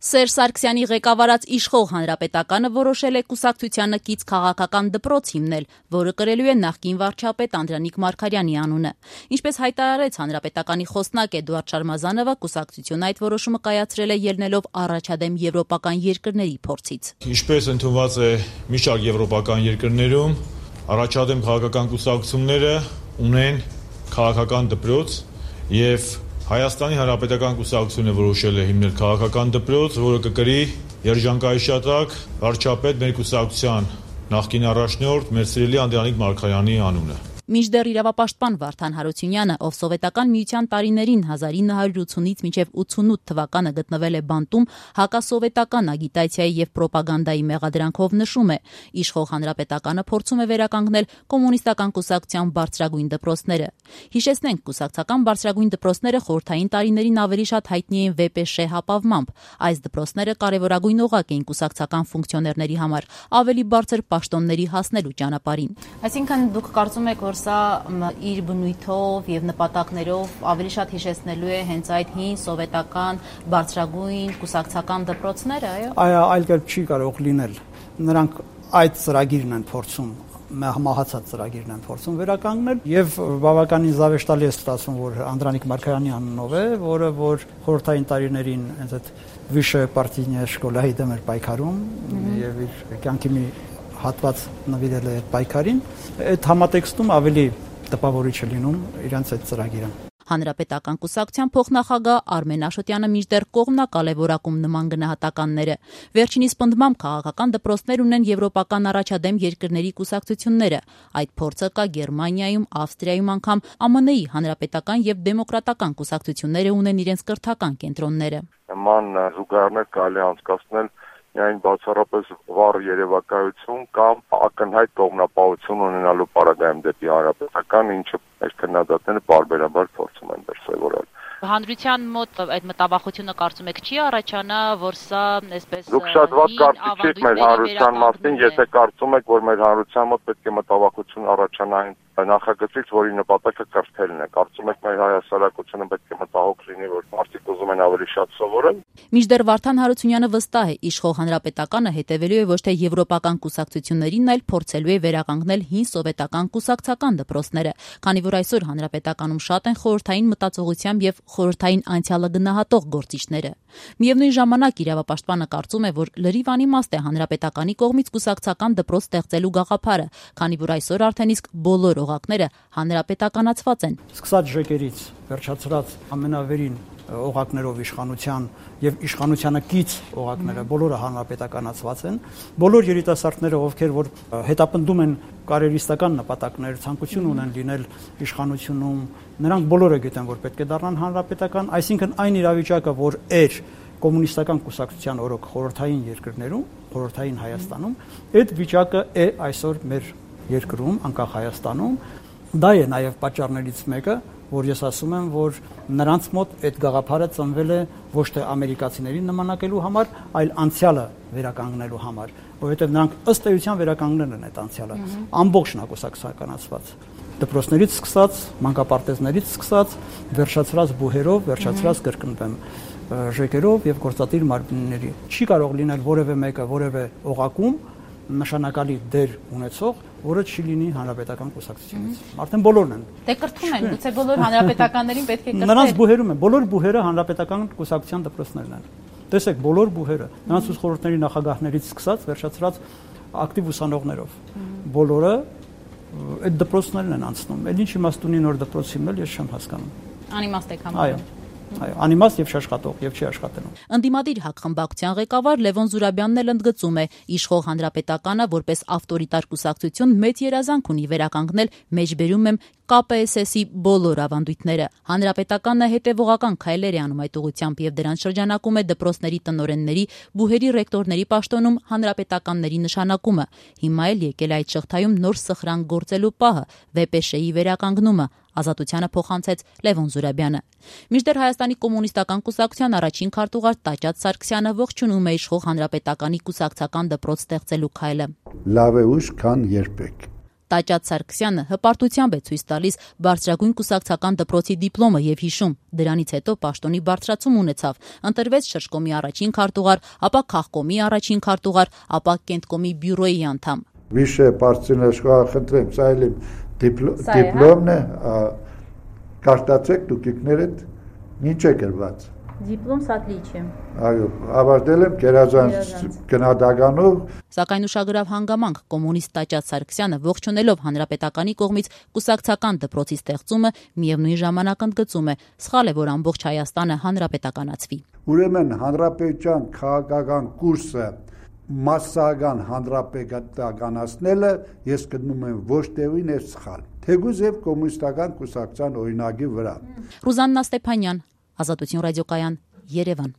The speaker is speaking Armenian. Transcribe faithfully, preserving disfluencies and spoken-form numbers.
Սերժ Սարգսյանի ղեկավարած իշխող հանրապետականը որոշել է կուսակցությանը կից քաղաքական դպրոց հիմնել, որը կրելու է նախկին վարչապետ Անդրանիկ Մարգարյանի անունը։ Ինչպես հայտարարեց հանրապետականի խոսնակ Էդուարդ Շարմազանովը, կուսակցությունը այդ որոշումը կայացրել է ելնելով առաջադեմ եվրոպական երկրների փորձից։ Ինչպես ընդունված է մի շարք եվրոպական երկրներում, առաջադեմ քաղաքական կուսակցությունները ունեն քաղաքական դպրոց եւ Հայաստանի Հանրապետական կուսակցությունը որոշել է հիմնել քաղաքական դպրոց, որը կկրի երջանկայիշատակ վարչապետ մեր կուսակցության նախկին առաջնորդ մեր սիրելի Անդրանիկ Մարգարյանի անունը։ Մինչդեռ իրավապաշտպան Վարդան Հարությունյանը, ով սովետական միության տարիներին հազար ինը հարյուր ութունից մինչև ութանութ թվականը գտնվել է բանտում, հակասովետական ագիտացիայի եւ պրոպագանդայի մեղադրանքով նշում է, իշխող հանրապետականը փորձում է վերականգնել կոմունիստական կուսակցության բարձրագույն դպրոցները։ Հիշեցնենք, կուսակցական բարձրագույն դպրոցները խորհրդային տարիներին ավելի շատ հայտնի էին ՎՊՇ հապավմամբ։ Այս դպրոցները կարևորագույն օղակ էին կուսակցական ֆունկցիոներների համար, ավելի բարձր պաշտոնների հասնելու ճանապարհին։ Այսինքն դուք կարծում եք, որ սա իր բնույթով եւ նպատակներով ավելի շատ հիշեցնելու է հենց այդ հին սովետական բարձրագույն կուսակցական դպրոցները, այո։ Այո, այլ կերպ չի կարող լինել։ Նրանք այդ ծրագիրն են փորձում, մահացած ծրագիրն են փորձում վերականգնել եւ բավականին զավեշտալի է ստացվում, որ Անդրանիկ Մարգարյանի անունով է, որը որ խորհրդային տարիներին հենց այդ Վիշե պարտիզնիա շկոլայի դեմ էր պայքարում եւ իր կյանքի մի հատված նվիրել է այդ պայքարին, այդ համատեքստում ավելի տպավորիչ է լինում իրենց այդ ծրագիրը։ Հանրապետական կուսակցության փոխնախագահ Արմեն Աշոտյանը մինչդեռ կողմնակալ է որակում նման գնահատականները։ Վերջինիս պնդմամբ քաղաքական դպրոցներ ունեն եվրոպական առաջադեմ երկրների կուսակցությունները։ Այդ փորձը կա Գերմանիայում, Ավստրիայում, անգամ Ա Մ Ն-ի հանրապետական եւ դեմոկրատական կուսակցությունները ունեն իրենց կրթական կենտրոնները։ Նման զուգահեռներ կարելի է անցկացնել միայն բացառապես վառ երևակայություն կամ ակնհայտ կողմնապահություն ունենալու պարագայում դեպի հանրապետական, ինչը մեր քննադատները բարբերաբար փորձում են դրսևորել։ Հանրության մոտ այդ մտավախությունը կարծում եք չի առաջանա, որ սա այսպես Դուք շատ վատ կարծիք եք մեր հանրության մասին, եթե կարծում եք, որ մեր հանրության մոտ պետք է մտավախություն առաջանա նախագծից, որի նպատակը կրթելն է։ Կարծում եք մեր հայասարակությունը պետք է մտահոգ լինի, որ մարդիկ ուզում են ավելի շատ սովորել։ Մինչդեռ Վարդան Հարությունյանը վստահ է, իշխող հանրապետականը հետևելու է ոչ թե եվրոպական կուսակցություններին, այլ փորձելու է վերականգնել հին սովետական կուսակցական դպրոցները, քանի որ այսօր հանրապետականում շատ են խորհրդային մտածողությամբ եւ խորհրդային անցյալը գնահատող գործիչները։ Միևնույն ժամանակ իրավապաշտպանը կարծում է, որ լրիվ անիմաստ է հանրապետականի կողմից կուսակցական դպրոց ստեղծելու գաղափարը, քանի որ այսօր արդեն իսկ բոլոր օղակները հանրապետականացված են։ Սկսած ժեկերից վերջացրած ամենավերին օղակներով իշխանության եւ իշխանությանը կից օղակները բոլորը հանրապետականացված են։ Բոլոր երիտասարդները, ովքեր որ հետապնդում են կարիերիստական նպատակներ, ցանկություն ունեն լինել իշխանությունում, նրանք բոլորը գիտեն, որ պետք է դառնան հանրապետական, այսինքն այն իրավիճակը, որ էր կոմունիստական կուսակցության օրոք խորհրդային երկրներում, խորհրդային Հայաստանում, այդ վիճակը է այսօր մեր երկրում, անկախ Հայաստանում, դա է նաև պատճառներից մեկը, որ ես ասում եմ, որ նրանց մոտ այդ գաղափարը ծնվել է ոչ թե ամերիկացիներին նմանակելու համար, այլ անցյալը վերականգնելու համար, որովհետև նրանք ըստ էության վերականգնել են այդ անցյալը, ամբողջն ակուսակցականացված, դպրոցներից սկսած, մանկապարտեզներից սկսած, վերջացրած բուհերով, վերջացրած կրկնվեմ ժեկերով եւ գործատիր մարմինների։ Չի կարող լինել որևէ մեկը որևէ օղակում նշանակալի դեր ունեցող, որը չի լինի հանրապետական կուսակցությունից։ Արդեն բոլորն են։ Դե կրթում են, գուցե բոլոր հանրապետականներին պետք է կրթել։ Նրանց բուհերում են, բոլոր բուհերը հանրապետական կուսակցության դպրոցներն են։ Տեսեք, բոլոր բուհերը, նրանց ուսուցիչ խորհուրդների նախագահներից սկսած, վերջացրած ակտիվ ուսանողներով, բոլորը այդ դպրոցներն են անցնում։ Էլ ինչ իմաստ ունի նոր դպրոց հիմնել, ես չեմ հասկանում։ Անիմաստ եք համարում։ Այո։ Այո, անիմաստ եւ չաշխատող եւ չի աշխատելու։ Ընդդիմադիր ՀԱԿ խմբակցության ղեկավար Լևոն Զուրաբյանն էլ ընդգծում է, իշխող հանրապետականը որպես ավտորիտար կուսակցություն մեծ երազանք ունի վերականգնել, մեջբերում եմ Կ Պ S S-ի բոլոր ավանդույթները։ Հանրապետականը հետևողական քայլեր է անում այդ ուղղությամբ եւ դրան շրջանակում է դպրոցների տնօրենների, բուհերի ռեկտորների պաշտոնում հանրապետականների նշանակումը։ Հիմա էլ եկել է այդ շղթայում նոր սխրանք գործելու պահը՝ ՎՊՇ-ի վերականգնումը, Ազատությանը փոխանցեց Լևոն Զուրաբյանը։ Մինչդեռ Հայաստանի կոմունիստական կուսակցության առաջին քարտուղար Տաճատ Սարգսյանը ողջունում է իշխող հանրապետականի կուսակցական դպրոց ստեղծելու քայլը։ Լավ է ուշ, քան երբեք։ Տաճատ Սարգսյանը հպարտությամբ է ցույց տալիս բարձրագույն կուսակցական դպրոցի դիպլոմը եւ հիշում, դրանից հետո պաշտոնի բարձրացում ունեցավ, ընտրվեց շրջկոմի առաջին քարտուղար, ապա քաղկոմի առաջին քարտուղար, ապա կենտկոմի բյուրոյի անդամ։ Վիշե Պարծինեշկա խնդրեմ, սա էլ դիպլոմն է, կարտացեք դուքիկներդ ինչ է գրված։ Դիպլոմ սատրիչ է։ Այո, ավարտել եմ գերազանց գնահատականով։ Սակայն ուշագրավ հանգամանք կոմունիստ Տաճատ Սարգսյանը ողջունելով հանրապետականի կողմից կուսակցական դպրոցի ստեղծումը միևնույն ժամանակ ընդգծում է, սխալ է, որ ամբողջ Հայաստանը հանրապետականացվի։ Ուրեմն հանրապետության քաղաքական կուրսը մասսական հանրապետականացնելը ես գտնում եմ ոչ տևին է սխալ, թեկուզ եւ կոմունիստական կուսակցության օրինակի վրա։ Ռուզաննա Ստեփանյան, Ազատություն ռադիոկայան, Երևան։